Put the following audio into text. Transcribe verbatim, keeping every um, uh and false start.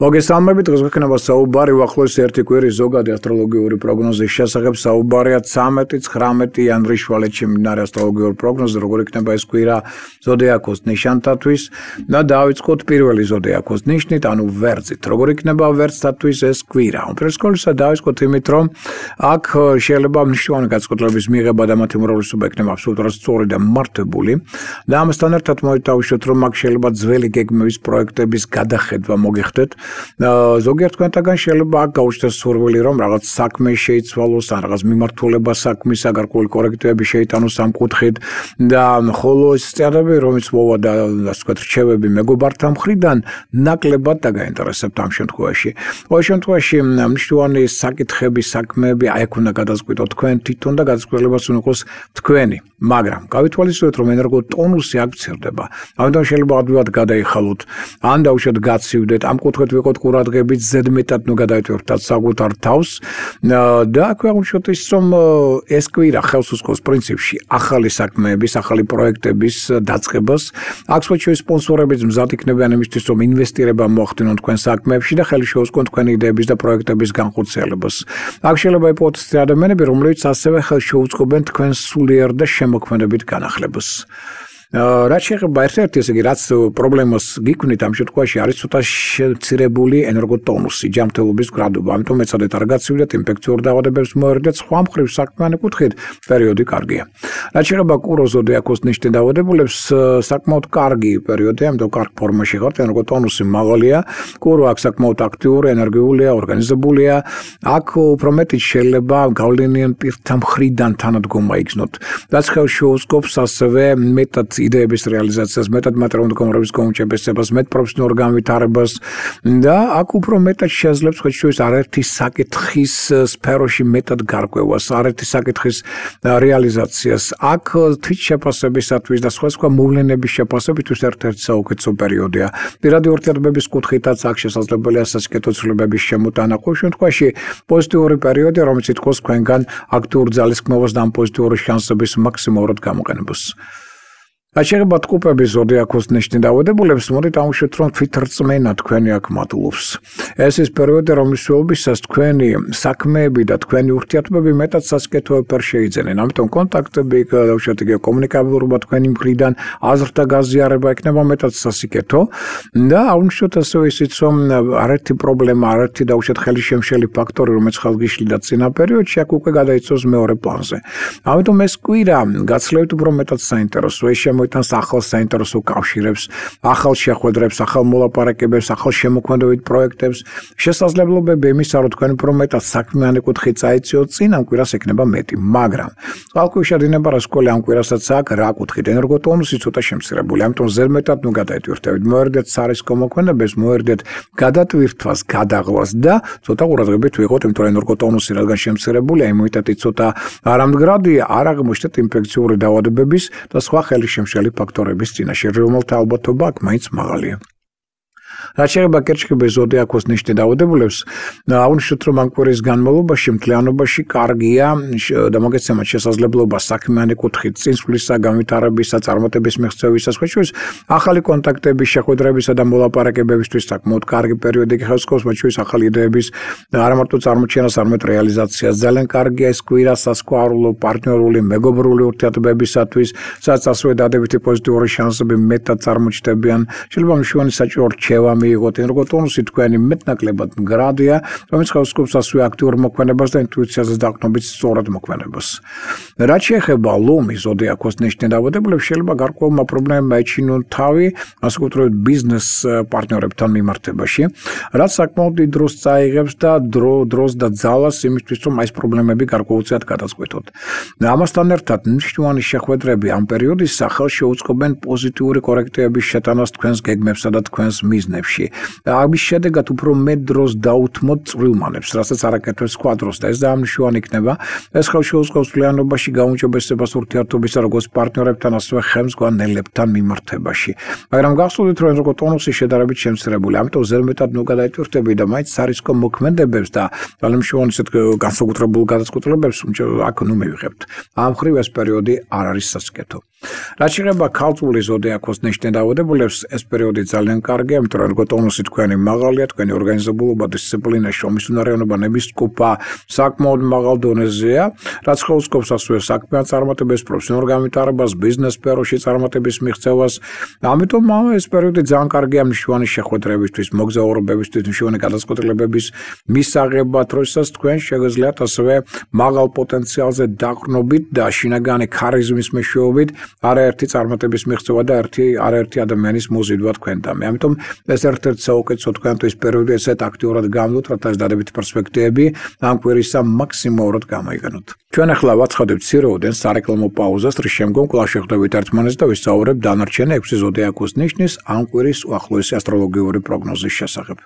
მოგესალმებით, დღეს გვექნება საუბარი უახლოესი ერთი კვირის ზოგადი ასტროლოგიური პროგნოზის შესახებ. საუბარია ცამეტი ცხრამეტი იანვრის შუალედში მიმდინარე ასტროლოგიური პროგნოზი, როგორ იქნება ეს კვირა ზოდიაქოს ნიშანთათვის და დავიწყოთ პირველი ზოდიაქოს ნიშნით, ანუ ვერძით. როგორ იქნება ვერძთათვის ეს კვირა? უპირველეს ყოვლისა დავიწყოთ იმით, რომ აქ შეიძლება მნიშვნელოვანი განწყობლების მიღება და მათი უმრავლესობა იქნება აბსოლუტურად სწორი და მართებული. და ამასთან ერთად მოითავშოთ, რომ აქ შეიძლება ძველი გეგმების პროექტების გადახედვა მოგიხდეთ. ზოგიერთ თქვენთაგან შეიძლება აქ გაუჩნდეს სურვილი, რომ რაღაც საქმე შეიცვალოს, ან რაღაც მიმართულება საქმის გარკვეული კორექტივები შეიტანოს ამ კუთხით და ხოლო ეს წიაღები, რომელიც მოვა და ასე ვთქვათ, რჩევები მეგობართა მხრიდან ნაკლებად დაგაინტერესებთ ამ შემთხვევაში. ყოველ შემთხვევაში მნიშვნელოვანი საკითხები, საქმეები აი აქ უნდა გადაწყვიტოთ თქვენ თვითონ და გადაწყვეტილებას უნდა იყოს თქვენი. მაგრამ გავითვალისწინოთ, რომ ენერგოტონუსი აქ მცირდება. ამიტომ შეიძლება ადვილად გადაიხალოთ, ან დაუშვათ გაცივდეთ ამ კუთხით ვიყოთ ყურადღებით, ზედმეტად ნუ გადაიტვირთოთ საკუთარ თავს და აქვე აღმოჩნდეთ ის, რომ ეს კვირა ხელს უსხობს პრინციპში ახალი საქმეების, ახალი პროექტების დაწყებას. აქ სხვადასხვა სპონსორებიც მზად იქნებიან იმისთვის, რომ ინვესტირება მოახდინონ თქვენ საქმეებში და ხელი შეუწყონ თქვენი იდეების და პროექტების განხორციელებას. აქ შეიძლება იპოთეს ადამიანები, რომლებიც ასევე ხელს შეუწყობენ თქვენ სულიერ და შემოქმედებით განახლებას. რაც შეეხება ერთ-ერთი, ესე იგი, რაც პრობლემას გიქმნით ამ შემთხვევაში არის ცოტა შემცირებული ენერგოტონუსი, ჯანმრთელობის გრადობა. ამიტომ ეცადეთ არ გაცივდეთ, ინფექციურ დაავადებებს მოერიდეთ, სხვა მხრივ საქმიანი კუთხით პერიოდი კარგია. რაც შეეხება კურო ზოდიაქოს ნიშნის დაავადებულებს, საკმაოდ კარგი პერიოდია, ამიტომ კარგ ფორმაში ხართ, ენერგოტონუსი მაღალია, კურო აქ საკმაოდ აქტიური, ენერგიულია, ორგანიზებულია. აქ უფრო მეტიც შეიძლება გავლენიან პირთა მხრიდან თანადგომა იგრძნოთ. რაც ხელს შეუწყობს ასევე მეტად იდეების რეალიზაციას, მეტად მატერიალური მდგომარეობის გაუმჯობესებას, მეტ პროფესიონალურ განვითარებას და აქ უფრო მეტად შეძლებს ხეთშუის არაერთი საკითხის სფეროში მეტად გარკვევას, არაერთი საკითხის რეალიზაციას. აქ თვით შეფასებისათვის და სხვა სხვა მოვლენების შეფასებისთვის ერთ-ერთი საუკეთესო პერიოდია. პირადი ურთიერთობების კუთხითაც აქ შესაძლებელია სასიკეთო ცვლილებების შემოტანა. ყოველ შემთხვევაში პოზიტიური პერიოდია, რომელიც ითხოვს თქვენგან აქტიურ ძალისხმევას და ამ პოზიტიური შანსების მაქსიმალურად გამოყენებას. რაც შეეხება ტყუპების ზოდიაქოს ნიშნის დაავადებულებს, მოდით ამოვშევთ, რომ თვითრწმენა თქვენი აქ მატულობს. ეს ის პერიოდი, რომლის შეობისას თქვენი საქმეები და თქვენი ურთიერთობები მეტად სასიკეთოებად შეიძენენ. ამიტომ კონტაქტები, დავუშვათ იგი კომუნიკაბილურობა თქვენი მხრიდან, აზრთა გაზიარება იქნება მეტად სასიკეთო და აუნიშნოთ ასევე ისიც, რომ არაერთი პრობლემა, არაერთი დავუშვათ ხელისშემშელი ფაქტორი, რომელიც ხელგიშლიდა წინა პერიოდში, აქ უკვე გადაიწევს მეორე პლანზე. ამიტომ ეს კვირა გაცლევთ უფრო მეტად საინტერესო. ეს მოიტანს ახალ საინტერესო კავშირებს, ახალ შეხვედრებს, ახალ მოლაპარაკებებს, ახალ შემოქმედებით პროექტებს. შესაძლებლობები იმისა, რომ თქვენ უფრო მეტად საქმიანი კუთხით წაეციოთ წინ, ამ კვირას ექნება მეტი, მაგრამ წყალქვეშ შედინება რასკოლი ამ კვირასაც აქ რა კუთხით ენერგოტონუსი ცოტა შემცირებული. ამიტომ ზედმეტად ნუ გადაიტვირთებით, მოერიდეთ სარისკო მოქმედებას, მოერიდეთ გადატვირთვას, გადაღლას და ცოტა ყურადღებით ვიყოთ, იმიტომ რომ ენერგოტონუსი რადგან შემცირებულია, იმუნიტეტი ცოტა არამდგრადია, არ აღმოჩნდეთ ინფექციური დაავადებების და სხვა ხელისშემშელი ფაქტორების წინაშე, რომელთა ალბათობა აქ მაინც მაღალია. რაც შეეხება კერჩხიბის ზოდიაქოს ნიშნის დაავადებულებს, აუნიშნოთ, რომ ამ კვირის განმავლობაში მთლიანობაში კარგია და მოგეცემათ შესაძლებლობა საქმიანი კუთხით წინსვლისა, განვითარებისა, წარმატების მიღწევისა, სხვაშორის ახალი კონტაქტების, შეხვედრებისა და მოლაპარაკებებისთვის საკმაოდ კარგი პერიოდი ხელს უსხობს, მათ შორის ახალი იდეების არა მარტო წარმოჩენას, არამედ რეალიზაციას. ძალიან კარგია ეს კვირა სასქესო, პარტნიორული, მეგობრული ურთიერთობებისათვის, სადაც ასევე დადებითი პოზიტიური შანსები მეტად წარმოჩნდებიან. შეიძლება მნიშვნელოვანი საჭირო რჩევა მიიღოთ. ენერგოტონუსი თქვენი მეტნაკლებად მდგრადია, რომელიც ხელს უსხობს ასევე აქტიურ მოქმედებას და ინტუიციაზე დაყრდნობით სწორად მოქმედებას. რაც შეეხება ლომის ზოდიაქოს ნიშნის დაავადებულებს, შეიძლება გარკვეულმა პრობლემებმა ეჩინონ თავი, ასე ვთქვათ, ბიზნეს პარტნიორებთან მიმართებაში, რაც საკმაოდ დიდ დროს წაიღებს და დრო დროს და ძალას იმისთვის, რომ ეს პრობლემები გარკვეულწილად გადაწყვეტოთ. ამასთან ერთად მნიშვნელოვანი შეხვედრები ამ პერიოდის სახელს შეუწყობენ პოზიტიური კორექტივების შეტანას თქვენს გეგმებსა და თქვენს მიზნებში. ამის შედეგად უფრო მეტ დროს დაუთმოთ წვრილმანებს, რასაც არაკეთებს სხვა დროს და ეს დაამნიშნულოვანი იქნება. ეს ხელს შეუწყობს მთლიანობაში გაუმჯობესებას ურთიერთობისა როგორც პარტნიორებთან, ასევე ხელმძღვანელებთან მიმართებაში. მაგრამ გახსოვდეთ, რომ ენერგოტონუსი შედარებით შემცირებული, ამიტომ ზედმეტად ნუ გადაიტვირთებით და მაინც სარისკო მოქმედებებს და ძალიანშოვანი ისეთ განსაკუთრებულ გადაწყვეტილებებს აქ ნუ მივიღებთ. ამ მხრივ ეს პერიოდი არ არის სასიკეთო. რაც შეეხება ქალწულის ზოდიაქოს ნიშნით დაავადებულებს, ეს პერიოდი ძალიან კარგია, იმიტომ რომ როგორ ტონუსი თქვენი მაღალია, თქვენი ორგანიზებულობა, დისციპლინა, შრომისუნარიანობა, ნების ჯგუფა საკმაოდ მაღალ დონეზეა, რაც ხელსკობს ასევე საქმიან წარმატებას, პროფესიონალურ განვითარებას, ბიზნეს სფეროში წარმატების მიღწევას. ამიტომ ეს პერიოდი ძალიან კარგია მნიშვნელოვანი შეხვედრებისთვის, მოგზაურობებისთვის, მნიშვნელოვანი გადაწყვეტილებების მისაღებად, როდესაც თქვენ შეგიძლიათ ასევე მაღალ პოტენციალზე დაყრდნობით და შინაგანი ქარიზმის მეშვეობით არაერთი წარმატების მიღწევა და ერთი არაერთი ადამიანის მოზიდვა თქვენთან. ამიტომ ეს ერთ-ერთი საუკეთესო თქვენთვის პერიოდი ესეთ აქტიურად გამოდოთ, რათა ეს დადებითი პერსპექტივები ამ კვირისა მაქსიმალურად გამოიგონოთ. ჩვენ ახლა ვაცხადებთ ცირეოდენ სარეკლამო პაუზას, რის შემდგომ კვლავ შევხვდებით ერთმანეთს და ვისაუბრებთ დანარჩენი ექვსი ზოდიაქოს ნიშნის ამ კვირის უახლოესი ასტროლოგიური პროგნოზის შესახებ.